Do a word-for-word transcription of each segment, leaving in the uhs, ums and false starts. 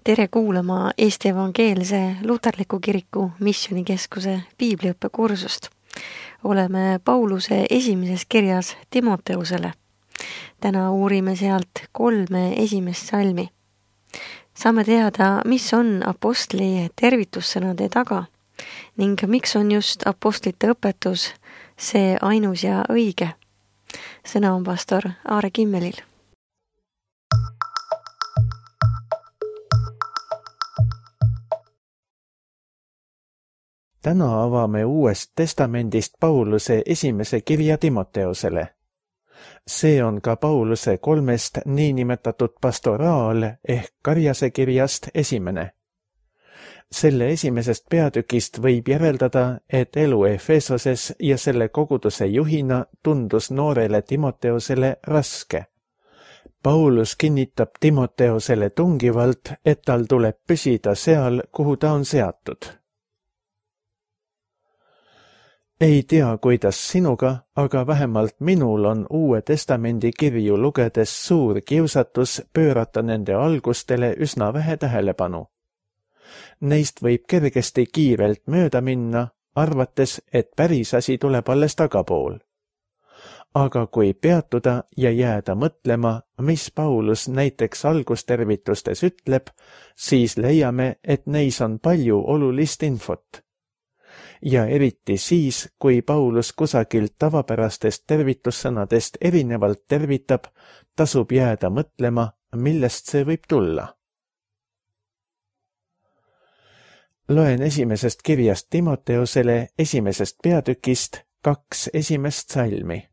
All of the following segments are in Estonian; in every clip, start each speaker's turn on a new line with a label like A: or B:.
A: Tere kuulama Eesti Evangeelse Luterliku Kiriku Missioonikeskuse piibliõppekursust. Oleme Pauluse esimeses kirjas Timoteusele. Täna uurime sealt kolme esimest salmi. Saame teada, mis on apostli tervitussõnade taga ning miks on just apostlite õpetus see ainus ja õige. Sõna on pastor Aare Kimmelil.
B: Täna avame Uuest testamendist Pauluse esimese kirja Timoteusele. See on ka Pauluse kolmest niinimetatud pastoraal ehk karjase kirjast esimene. Selle esimesest peatükist võib järeldada, et elu Efesoses ja selle koguduse juhina tundus noorele Timoteusele raske. Paulus kinnitab Timoteusele tungivalt, et tal tuleb püsida seal, kuhu ta on seatud. Ei tea, kuidas sinuga, aga vähemalt minul on Uue Testamendi kirju lugedes suur kiusatus pöörata nende algustele üsna vähe tähelepanu. Neist võib kergesti kiirelt mööda minna, arvates, et päris asi tuleb alles tagapool. Aga kui peatuda ja jääda mõtlema, mis Paulus näiteks algustervitustes ütleb, siis leiame, et neis on palju olulist infot. Ja eriti siis, kui Paulus kusagilt tavapärastest tervitussõnadest erinevalt tervitab, tasub jääda mõtlema, millest see võib tulla. Loen esimesest kirjast Timoteusele esimesest peatükist kaks esimest salmi.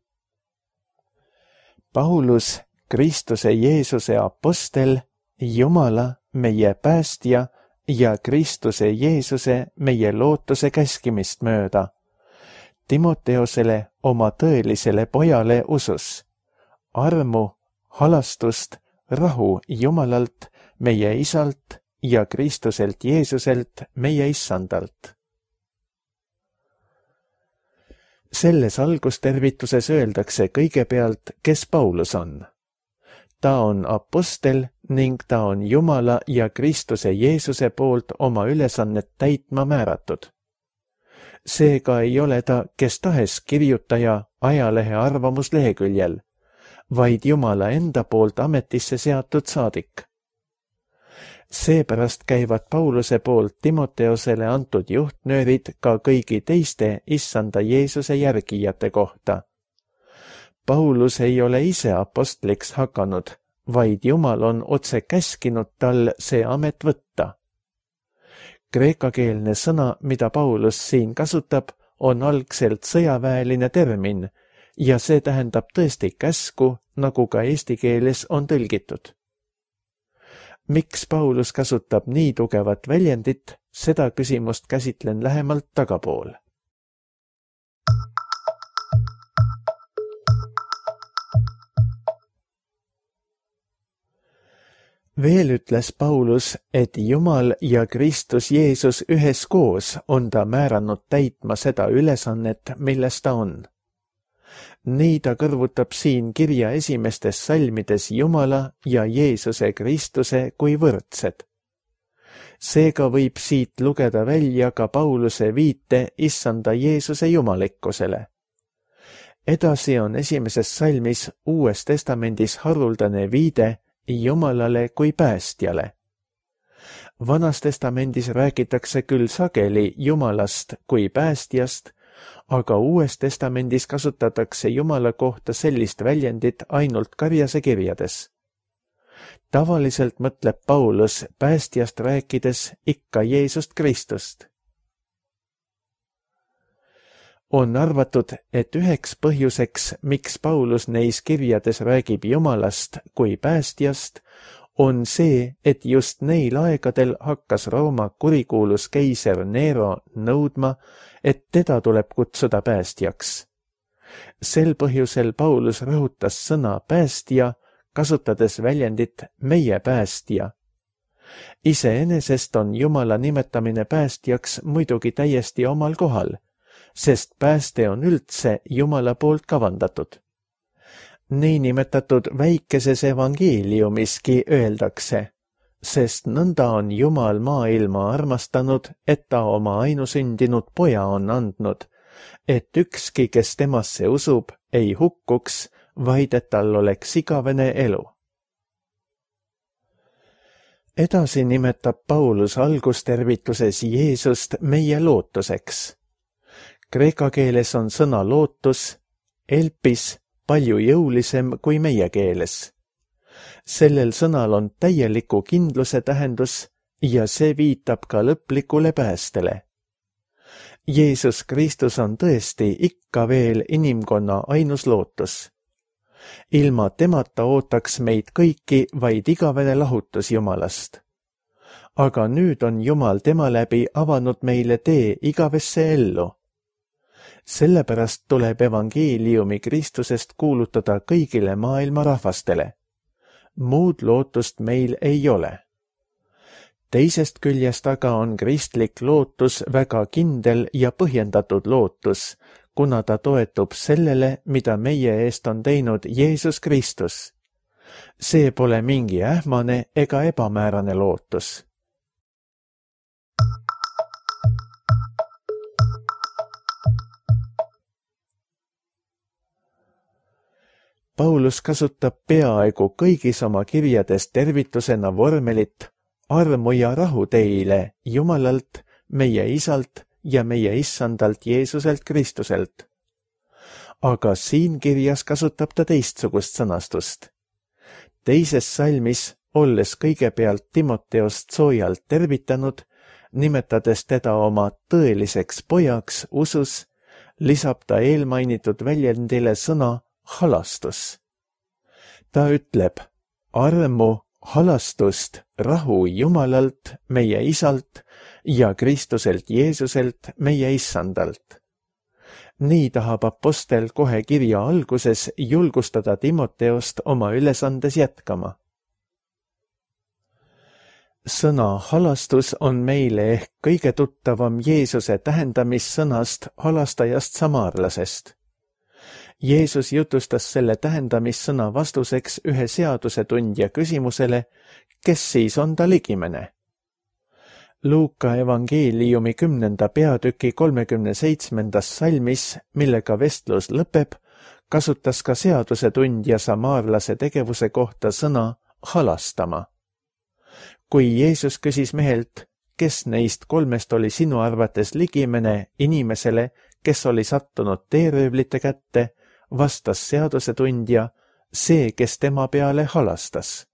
B: Paulus, Kristuse Jeesuse apostel, Jumala, meie päästja, ja Kristuse Jeesuse meie lootuse käskimist mööda. Timoteusele oma tõelisele pojale usus. Armu, halastust, rahu Jumalalt, meie Isalt ja Kristuselt Jeesuselt, meie Issandalt. Selles algustervituses öeldakse kõigepealt, kes Paulus on. Ta on apostel ning ta on Jumala ja Kristuse Jeesuse poolt oma ülesannet täitma määratud. Seega ei ole ta kes tahes kirjutaja ajalehe arvamusleheküljel, vaid Jumala enda poolt ametisse seatud saadik. Seepärast käivad Pauluse poolt Timoteusele antud juhtnöörid ka kõigi teiste Issanda Jeesuse järgijate kohta. Paulus ei ole ise apostliks hakanud, vaid Jumal on otse käskinud tal see amet võtta. Kreekakeelne sõna, mida Paulus siin kasutab, on algselt sõjaväeline termin ja see tähendab tõesti käsku, nagu ka eesti keeles on tõlgitud. Miks Paulus kasutab nii tugevat väljendit, seda küsimust käsitlen lähemalt tagapool. Veel ütles Paulus, et Jumal ja Kristus Jeesus üheskoos on ta määranud täitma seda ülesannet, milles ta on. Nii ta kõrvutab siin kirja esimestes salmides Jumala ja Jeesuse Kristuse kui võrdsed. Seega võib siit lugeda välja ka Pauluse viite Issanda Jeesuse jumalikkusele. Edasi on esimeses salmis Uues testamendis haruldane viide Jumalale kui päästjale. Vanas testamendis räägitakse küll sageli Jumalast kui päästjast, aga Uues testamendis kasutatakse Jumala kohta sellist väljendit ainult karjase kirjades. Tavaliselt mõtleb Paulus päästjast rääkides ikka Jeesust Kristust. On arvatud, et üheks põhjuseks, miks Paulus neis kirjades räägib Jumalast kui päästjast, on see, et just neil aegadel hakkas Rooma kurikuulus keiser Nero nõudma, et teda tuleb kutsuda päästjaks. Sel põhjusel Paulus rõhutas sõna päästja, kasutades väljendit meie päästja. Iseenesest on Jumala nimetamine päästjaks muidugi täiesti omal kohal, sest pääste on üldse Jumala poolt kavandatud. Niinimetatud väikeses evangeeliumiski öeldakse, sest nõnda on Jumal maailma armastanud, et ta oma ainusündinud poja on andnud, et ükski, kes temasse usub, ei hukkuks, vaid et tal oleks igavene elu. Edasi nimetab Paulus algustervituses Jeesust meie lootuseks. Kreeka keeles on sõna lootus, elpis, palju jõulisem kui meie keeles. Sellel sõnal on täieliku kindluse tähendus ja see viitab ka lõplikule päästele. Jeesus Kristus on tõesti ikka veel inimkonna ainus lootus. Ilma temata ootaks meid kõiki vaid igavene lahutus Jumalast. Aga nüüd on Jumal tema läbi avanud meile tee igavesse ellu. Sellepärast tuleb evangeeliumi Kristusest kuulutada kõigile maailma rahvastele. Muud lootust meil ei ole. Teisest küljest aga on kristlik lootus väga kindel ja põhjendatud lootus, kuna ta toetub sellele, mida meie eest on teinud Jeesus Kristus. See pole mingi ähmane ega ebamäärane lootus. Paulus kasutab peaaegu kõigis oma kirjades tervitusena vormelit armu ja rahu teile Jumalalt, meie Isalt ja meie Issandalt Jeesuselt Kristuselt. Aga siin kirjas kasutab ta teistsugust sõnastust. Teises salmis, olles kõigepealt Timoteost soojalt tervitanud, nimetades teda oma tõeliseks pojaks usus, lisab ta eelmainitud väljendile sõna halastus. Ta ütleb armu, halastust, rahu Jumalalt, meie Isalt ja Kristuselt Jeesuselt, meie Issandalt. Nii tahab apostel kohe kirja alguses julgustada Timoteost oma ülesandes jätkama. Sõna halastus on meile ehk kõige tuttavam Jeesuse tähendamissõnast halastajast samaarlasest. Jeesus jutustas selle tähendamissõna vastuseks ühe seadusetundja küsimusele, kes siis on ta ligimene. Luuka evangeeliumi kümnenda peatüki kolmekümne seitsmendas salmis, millega vestlus lõpeb, kasutas ka seadusetundja samaarlase tegevuse kohta sõna halastama. Kui Jeesus küsis mehelt, kes neist kolmest oli sinu arvates ligimene inimesele, kes oli sattunud teeröövlite kätte, vastas seadusetundja, see, kes tema peale halastas.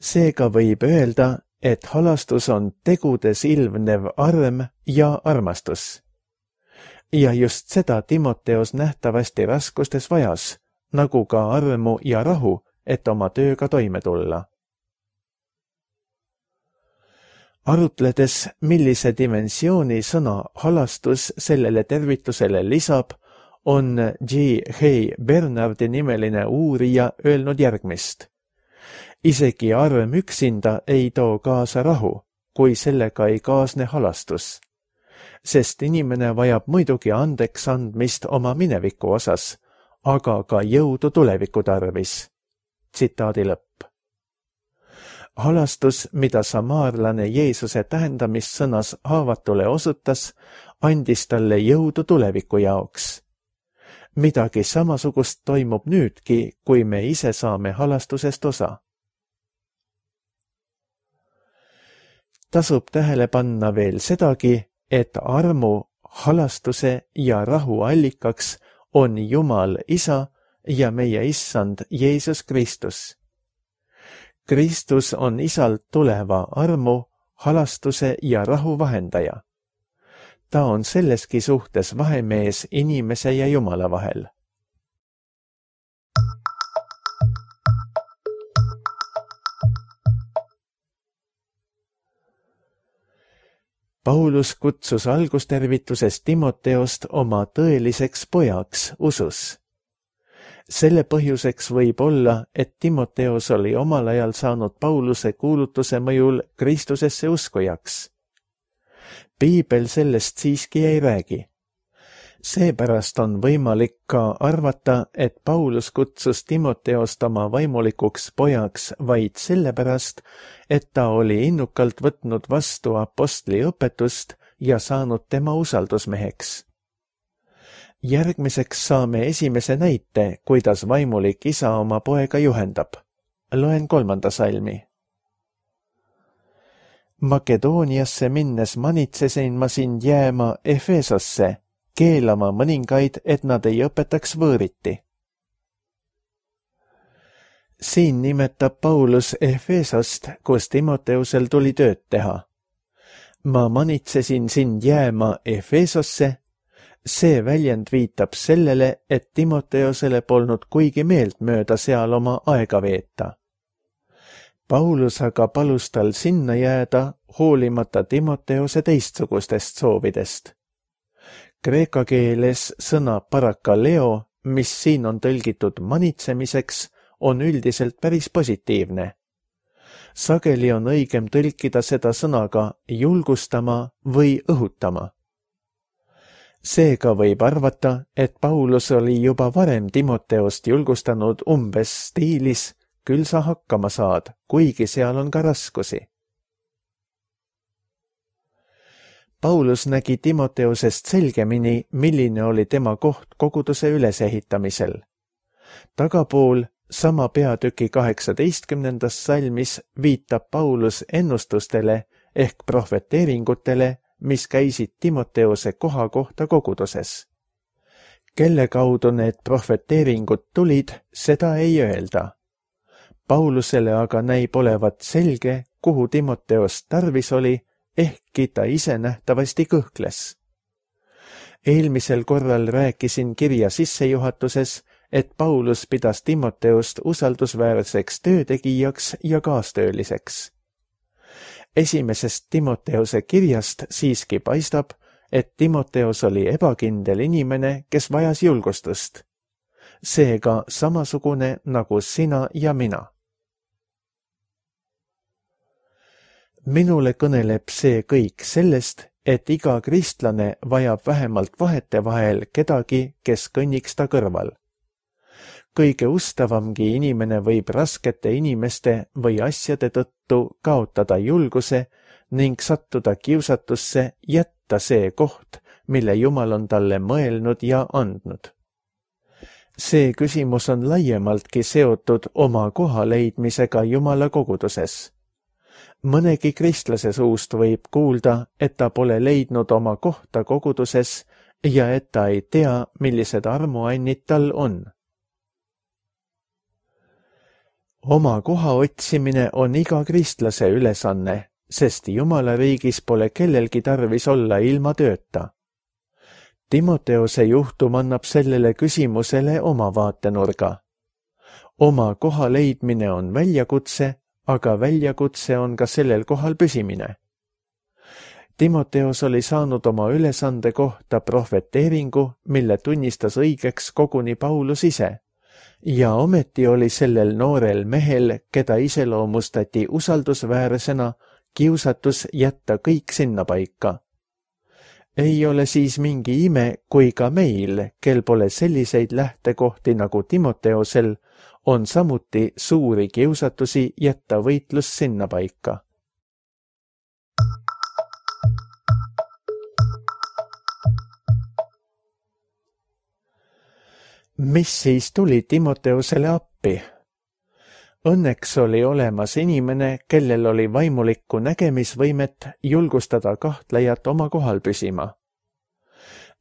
B: Seega võib öelda, et halastus on tegudes ilmnev arm ja armastus. Ja just seda Timoteos nähtavasti raskustes vajas, nagu ka armu ja rahu, et oma tööga toime tulla. Arutledes, millise dimensiooni sõna halastus sellele tervitusele lisab, on G. H. Bernardi nimeline uurija öelnud järgmist. Isegi arm üksinda ei too kaasa rahu, kui sellega ei kaasne halastus. Sest inimene vajab muidugi andeks andmist oma mineviku osas, aga ka jõudu tuleviku tarvis. Tsitaadi lõpp. Halastus, mida samaarlane Jeesuse tähendamissõnas haavatule osutas, andis talle jõudu tuleviku jaoks. Midagi samasugust toimub nüüdki, kui me ise saame halastusest osa. Tasub tähele panna veel sedagi, et armu, halastuse ja rahu allikaks on Jumal Isa ja meie Issand Jeesus Kristus. Kristus on Isalt tuleva armu, halastuse ja rahu vahendaja. Ta on selleski suhtes vahemees inimese ja Jumala vahel. Paulus kutsus algustervituses Timoteost oma tõeliseks pojaks usus. Selle põhjuseks võib olla, et Timoteos oli omal ajal saanud Pauluse kuulutuse mõjul Kristusesse uskujaks. Piibel sellest siiski ei räägi. Seepärast on võimalik ka arvata, et Paulus kutsus Timoteost oma vaimulikuks pojaks vaid sellepärast, et ta oli innukalt võtnud vastu apostli õpetust ja saanud tema usaldusmeheks. Järgmiseks saame esimese näite, kuidas vaimulik isa oma poega juhendab. Loen kolmanda salmi. Makedooniasse minnes manitsesin ma sind jääma Efesosse, keelama mõningaid, et nad ei õpetaks võõriti. Siin nimetab Paulus Efesost, kus Timoteusel tuli tööd teha. Ma manitsesin sind jääma Efesosse. See väljend viitab sellele, et Timoteusele polnud kuigi meeltmööda seal oma aega veeta. Paulus aga palus tal sinna jääda, hoolimata Timoteuse teistsugustest soovidest. Kreeka keeles sõna parakaleo, mis siin on tõlgitud manitsemiseks, on üldiselt päris positiivne. Sageli on õigem tõlkida seda sõnaga julgustama või õhutama. Seega võib arvata, et Paulus oli juba varem Timoteost julgustanud umbes stiilis, küll sa hakkama saad, kuigi seal on ka raskusi. Paulus nägi Timoteusest selgemini, milline oli tema koht koguduse ülesehitamisel. Tagapool sama peatüki kaheksateistkümnendas salmis viitab Paulus ennustustele ehk prohveteeringutele, mis käisid Timoteuse koha kohta koguduses. Kelle kaudu need prohveteeringud tulid, seda ei öelda. Paulusele aga näib olevat selge, kuhu Timoteost tarvis oli, ehkki ta ise nähtavasti kõhkles. Eelmisel korral rääkisin kirja sissejuhatuses, et Paulus pidas Timoteost usaldusväärseks töötegijaks ja kaastööliseks. Esimesest Timoteuse kirjast siiski paistab, et Timoteus oli ebakindel inimene, kes vajas julgustust. Seega samasugune nagu sina ja mina. Minule kõneleb see kõik sellest, et iga kristlane vajab vähemalt vahetevahel kedagi, kes kõnniks ta kõrval. Kõige ustavamgi inimene võib raskete inimeste või asjade tõttu kaotada julguse ning sattuda kiusatusse jätta see koht, mille Jumal on talle mõelnud ja andnud. See küsimus on laiemaltki seotud oma koha leidmisega Jumala koguduses. Mõnegi kristlase suust võib kuulda, et ta pole leidnud oma kohta koguduses ja et ta ei tea, millised armuannid tal on. Oma koha otsimine on iga kristlase ülesanne, sest Jumala riigis pole kellelgi tarvis olla ilma tööta. Timoteuse juhtum annab sellele küsimusele oma vaatenurga. Oma koha leidmine on väljakutse, aga väljakutse on ka sellel kohal püsimine. Timoteus oli saanud oma ülesande kohta prohveteeringu, mille tunnistas õigeks koguni Paulus ise. Ja ometi oli sellel noorel mehel, keda iseloomustati usaldusväärsena, kiusatus jätta kõik sinnapaika. Ei ole siis mingi ime, kui ka meil, kel pole selliseid lähtekohti nagu Timoteusel, on samuti suuri kiusatusi jätta võitlus sinnapaika. Mis siis tuli Timoteusele appi? Õnneks oli olemas inimene, kellel oli vaimulikku nägemisvõimet julgustada kahtlejat oma kohal püsima.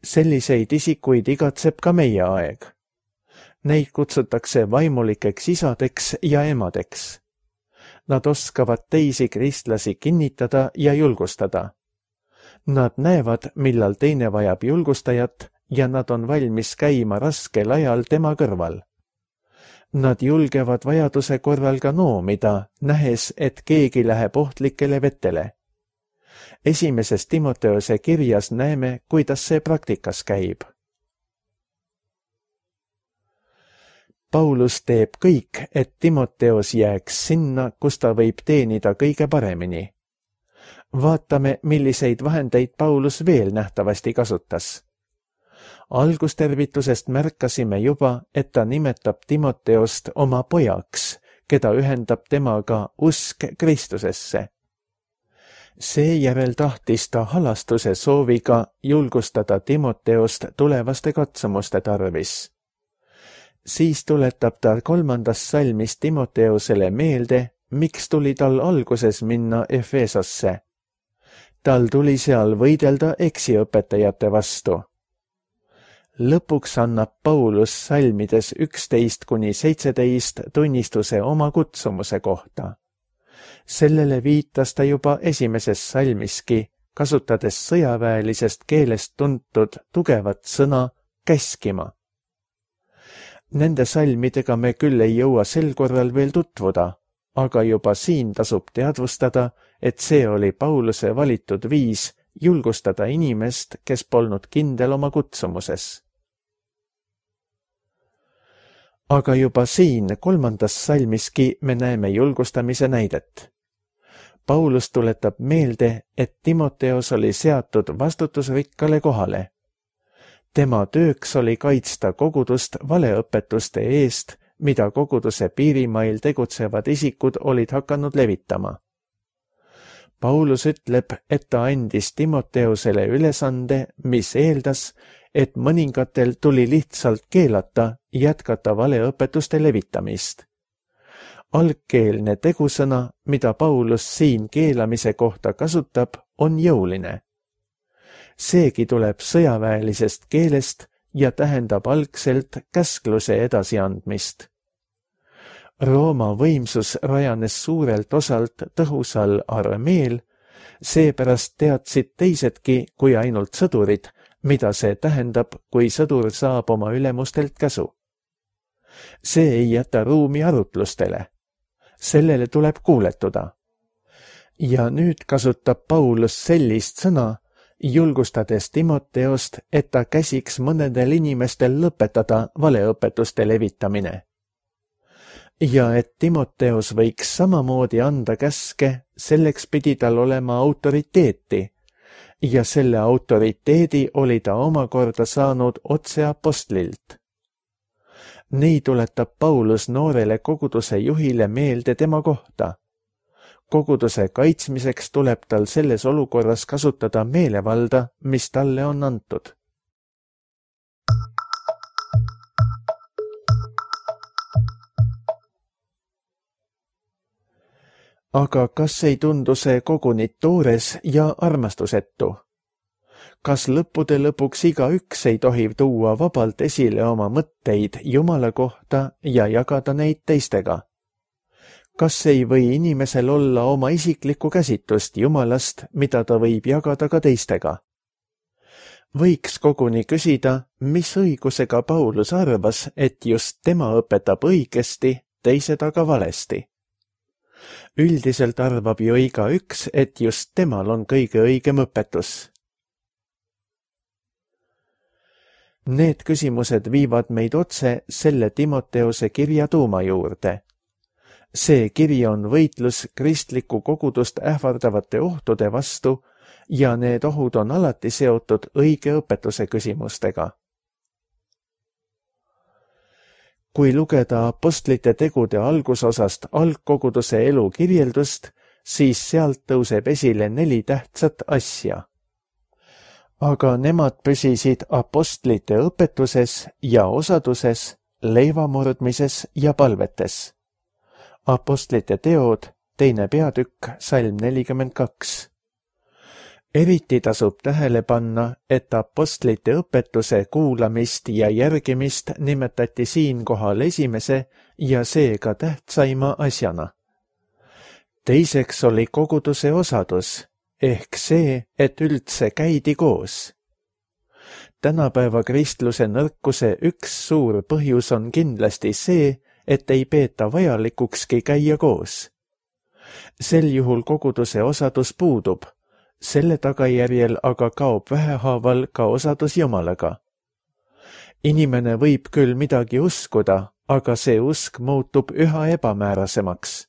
B: Selliseid isikuid igatseb ka meie aeg. Neid kutsutakse vaimulikeks isadeks ja emadeks. Nad oskavad teisi kristlasi kinnitada ja julgustada. Nad näevad, millal teine vajab julgustajat ja nad on valmis käima raskel ajal tema kõrval. Nad julgevad vajaduse korral ka noomida, nähes, et keegi läheb ohtlikele vetele. Esimeses Timoteuse kirjas näeme, kuidas see praktikas käib. Paulus teeb kõik, et Timoteus jääks sinna, kus ta võib teenida kõige paremini. Vaatame, milliseid vahendeid Paulus veel nähtavasti kasutas. algustervitusest märkasime juba, et ta nimetab Timoteost oma pojaks, keda ühendab temaga usk Kristusesse. Seejärel tahtis ta halastuse sooviga julgustada Timoteost tulevaste katsumuste tarvis. Siis tuletab ta kolmandas salmis Timoteosele meelde, miks tuli tal alguses minna Efesosse. Tal tuli seal võidelda eksiõpetajate vastu. Lõpuks annab Paulus salmides üksteist kuni seitseteist tunnistuse oma kutsumuse kohta. Sellele viitas ta juba esimeses salmiski, kasutades sõjaväelisest keelest tuntud tugevat sõna käskima. Nende salmidega me küll ei jõua sel korral veel tutvuda, aga juba siin tasub teadvustada, et see oli Pauluse valitud viis julgustada inimest, kes polnud kindel oma kutsumuses. Aga juba siin kolmandas salmiski me näeme julgustamise näidet. Paulus tuletab meelde, et Timoteos oli seatud vastutusrikkale kohale. Tema tööks oli kaitsta kogudust valeõpetuste eest, mida koguduse piirimail tegutsevad isikud olid hakanud levitama. Paulus ütleb, et ta andis Timoteusele ülesande, mis eeldas, et mõningatel tuli lihtsalt keelata jätkata valeõpetuste levitamist. Algkeelne tegusõna, mida Paulus siin keelamise kohta kasutab, on jõuline. Seegi tuleb sõjaväelisest keelest ja tähendab algselt käskluse edasiandmist. Rooma võimsus rajanes suurelt osalt tõhusal armeel, seepärast teadsid teisedki kui ainult sõdurid, mida see tähendab, kui sõdur saab oma ülemustelt käsu. See ei jäta ruumi arutlustele. Sellele tuleb kuuletuda. Ja nüüd kasutab Paulus sellist sõna, julgustades Timoteost, et ta käsiks mõnedel inimestel lõpetada valeõpetuste levitamine. Ja et Timoteos võiks samamoodi anda käske, selleks pidi tal olema autoriteeti, ja selle autoriteedi oli ta omakorda saanud otse apostlilt. Nii tuletab Paulus noorele koguduse juhile meelde tema kohta. Koguduse kaitsmiseks tuleb tal selles olukorras kasutada meelevalda, mis talle on antud. Aga kas ei tundu see koguni toores ja armastusetu? Kas lõppude lõpuks igaüks ei tohi tuua vabalt esile oma mõtteid Jumala kohta ja jagada neid teistega? Kas ei või inimesel olla oma isiklikku käsitlust Jumalast, mida ta võib jagada ka teistega? Võiks koguni küsida, mis õigusega Paulus arvas, et just tema õpetab õigesti, teised aga valesti. Üldiselt arvab ju igaüks, et just temal on kõige õigem õpetus. Need küsimused viivad meid otse selle Timoteose kirja tuuma juurde. See kiri on võitlus kristliku kogudust ähvardavate ohtude vastu ja need ohud on alati seotud õige õpetuse küsimustega. Kui lugeda apostlite tegude algusosast algkoguduse elu kirjeldust, siis sealt tõuseb esile neli tähtsat asja. Aga nemad püsisid apostlite õpetuses ja osaduses, leivamurdmises ja palvetes. Apostlite teod, teine peatükk, salm nelikümmend kaks. Eriti tasub tähele panna, et apostlite õpetuse kuulamist ja järgimist nimetati siinkohal esimese ja seega tähtsaima asjana. Teiseks oli koguduse osadus, ehk see, et üldse käidi koos. Tänapäeva kristluse nõrkuse üks suur põhjus on kindlasti see, et ei peeta vajalikukski käia koos. Sel juhul koguduse osadus puudub, selle tagajärjel aga kaob vähehaaval ka osadus Jumalaga. Inimene võib küll midagi uskuda, aga see usk muutub üha ebamäärasemaks.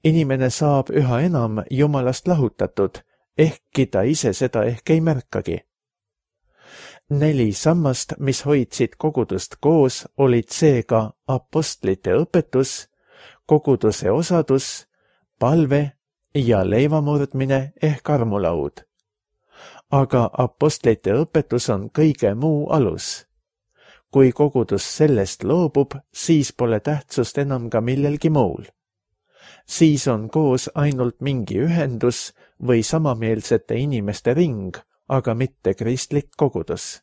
B: Inimene saab üha enam Jumalast lahutatud, ehkki ta ise seda ehk ei märkagi. Neli sammast, mis hoidsid kogudust koos, olid seega apostlite õpetus, koguduse osadus, palve ja leivamurdmine ehk armulaud. Aga apostlite õpetus on kõige muu alus. Kui kogudus sellest loobub, siis pole tähtsust enam ka millelgi muul. Siis on koos ainult mingi ühendus või samameelsete inimeste ring, aga mitte kristlik kogudus.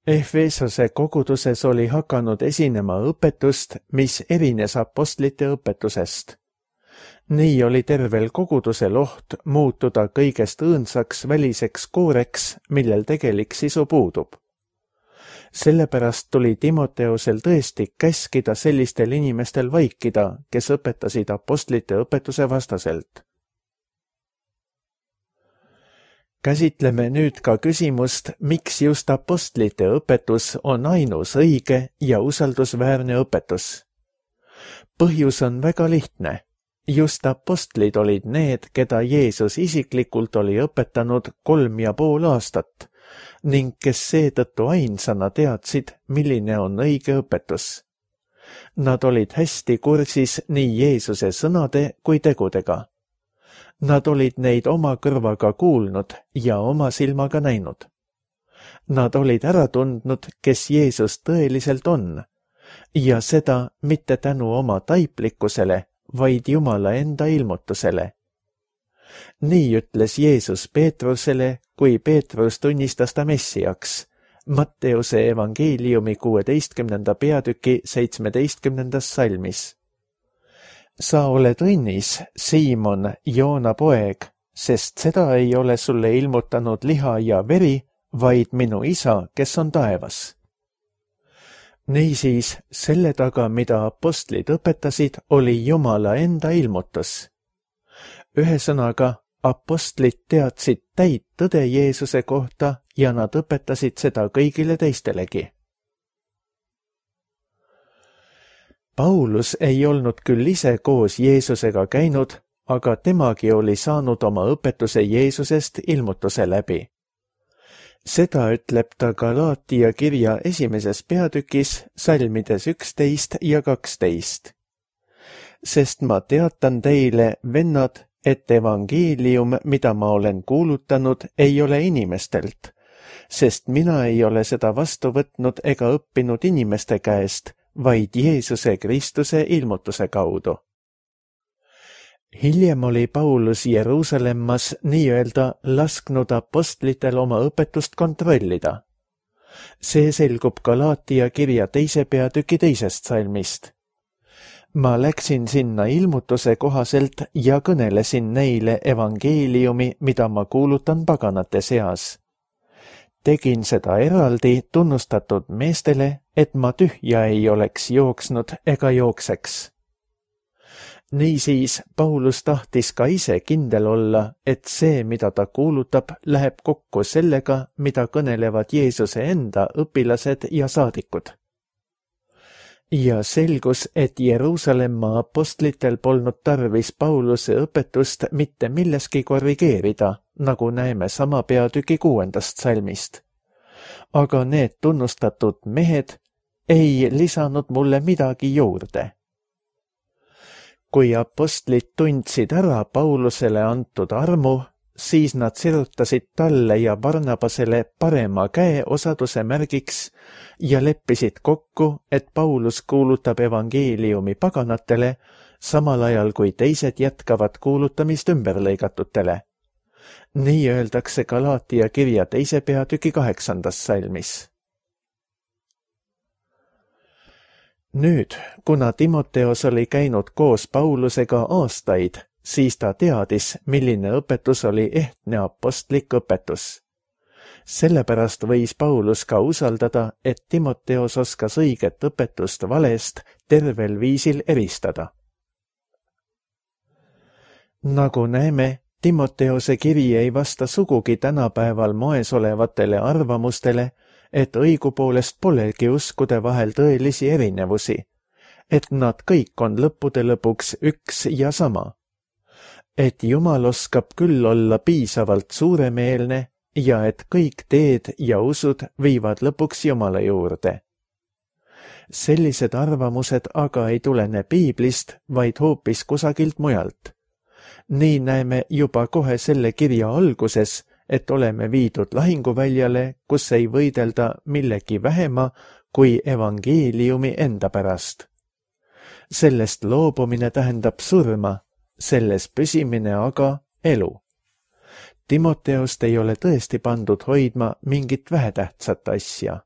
B: Efesose koguduses oli hakanud esinema õpetust, mis erines apostlite õpetusest. Nii oli tervel kogudusel oht muutuda kõigest õõnsaks väliseks kooreks, millel tegelik sisu puudub. Sellepärast tuli Timoteusel tõesti käskida sellistel inimestel vaikida, kes õpetasid apostlite õpetuse vastaselt. Käsitleme nüüd ka küsimust, miks just apostlite õpetus on ainus õige ja usaldusväärne õpetus. Põhjus on väga lihtne. Just apostlid olid need, keda Jeesus isiklikult oli õpetanud kolm ja pool aastat ning kes seetõttu ainsana teadsid, milline on õige õpetus. Nad olid hästi kursis nii Jeesuse sõnade kui tegudega. Nad olid neid oma kõrvaga kuulnud ja oma silmaga näinud. Nad olid ära tundnud, kes Jeesus tõeliselt on, ja seda mitte tänu oma taiplikkusele, vaid Jumala enda ilmutusele. Nii ütles Jeesus Peetrusele, kui Peetrus tunnistas ta Messiaks, Matteuse evangeeliumi kuueteistkümnenda peatüki seitsmeteistkümnendas salmis. Sa oled õnnis, Siimon, Joona poeg, sest seda ei ole sulle ilmutanud liha ja veri, vaid minu isa, kes on taevas. Niisiis, selle taga, mida apostlid õpetasid, oli Jumala enda ilmutus. Ühesõnaga, apostlid teadsid täit tõde Jeesuse kohta ja nad õpetasid seda kõigile teistelegi. Paulus ei olnud küll ise koos Jeesusega käinud, aga temagi oli saanud oma õpetuse Jeesusest ilmutuse läbi. Seda ütleb ta Galaatia kirja esimeses peatükis, salmides üksteist ja kaksteist. Sest ma teatan teile, vennad, et evangeelium, mida ma olen kuulutanud, ei ole inimestelt, sest mina ei ole seda vastu võtnud ega õppinud inimeste käest, vaid Jeesuse Kristuse ilmutuse kaudu. Hiljem oli Paulus Jeruusalemmas nii-öelda lasknud apostlitel oma õpetust kontrollida. See selgub Galaatia kirja teise peatüki teisest salmist. Ma läksin sinna ilmutuse kohaselt ja kõnelesin neile evangeeliumi, mida ma kuulutan paganate seas. Tegin seda eraldi tunnustatud meestele, et ma tühja ei oleks jooksnud ega jookseks. Niisiis, Paulus tahtis ka ise kindel olla, et see, mida ta kuulutab, läheb kokku sellega, mida kõnelevad Jeesuse enda õpilased ja saadikud. Ja selgus, et Jeruusalemma apostlitel polnud tarvis Pauluse õpetust mitte milleski korrigeerida, nagu näeme sama peatüki kuuendast salmist. Aga need tunnustatud mehed ei lisanud mulle midagi juurde. Kui apostlid tundsid ära Paulusele antud armu, siis nad sirutasid talle ja Barnabasele parema käe osaduse märgiks ja leppisid kokku, et Paulus kuulutab evangeeliumi paganatele, samal ajal kui teised jätkavad kuulutamist ümberlõigatutele. Nii öeldakse Galaatia kirja teise peatüki kaheksandas salmis. Nüüd, kuna Timoteos oli käinud koos Paulusega aastaid, siis ta teadis, milline õpetus oli ehtne apostlik õpetus. Sellepärast võis Paulus ka usaldada, et Timoteos oskas õiget õpetust valest tervel viisil eristada. Nagu näeme, Timoteose kiri ei vasta sugugi tänapäeval moes olevatele arvamustele, et õigupoolest polegi uskude vahel tõelisi erinevusi, et nad kõik on lõppude lõpuks üks ja sama. Et Jumal oskab küll olla piisavalt suuremeelne ja et kõik teed ja usud viivad lõpuks Jumala juurde. Sellised arvamused aga ei tulene piiblist, vaid hoopis kusagilt mujalt. Nii näeme juba kohe selle kirja alguses, et oleme viidud lahinguväljale, kus ei võidelda millegi vähema kui evangeeliumi enda pärast. Sellest loobumine tähendab surma, selles püsimine aga elu. Timoteost ei ole tõesti pandud hoidma mingit vähetähtsat asja.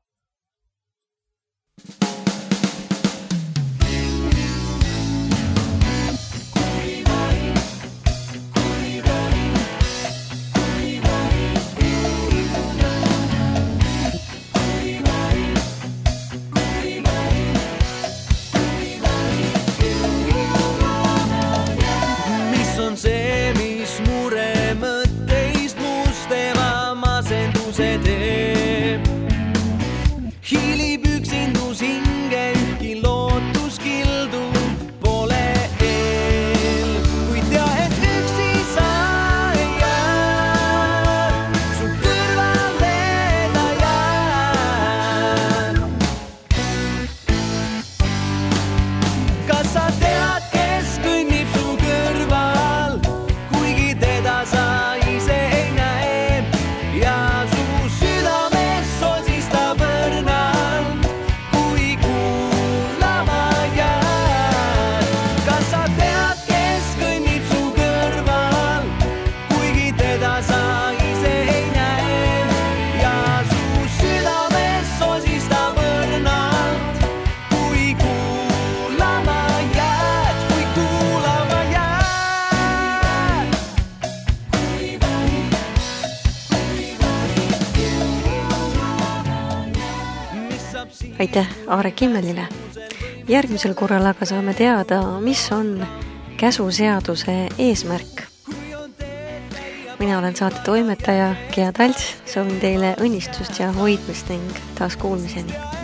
A: Aitäh Aare Kimmelile. Järgmisel korral aga saame teada, mis on käsuseaduse eesmärk. Mina olen saate toimetaja Gea Talts, soovin teile õnnistust ja hoidmist ning taas kuulmiseni.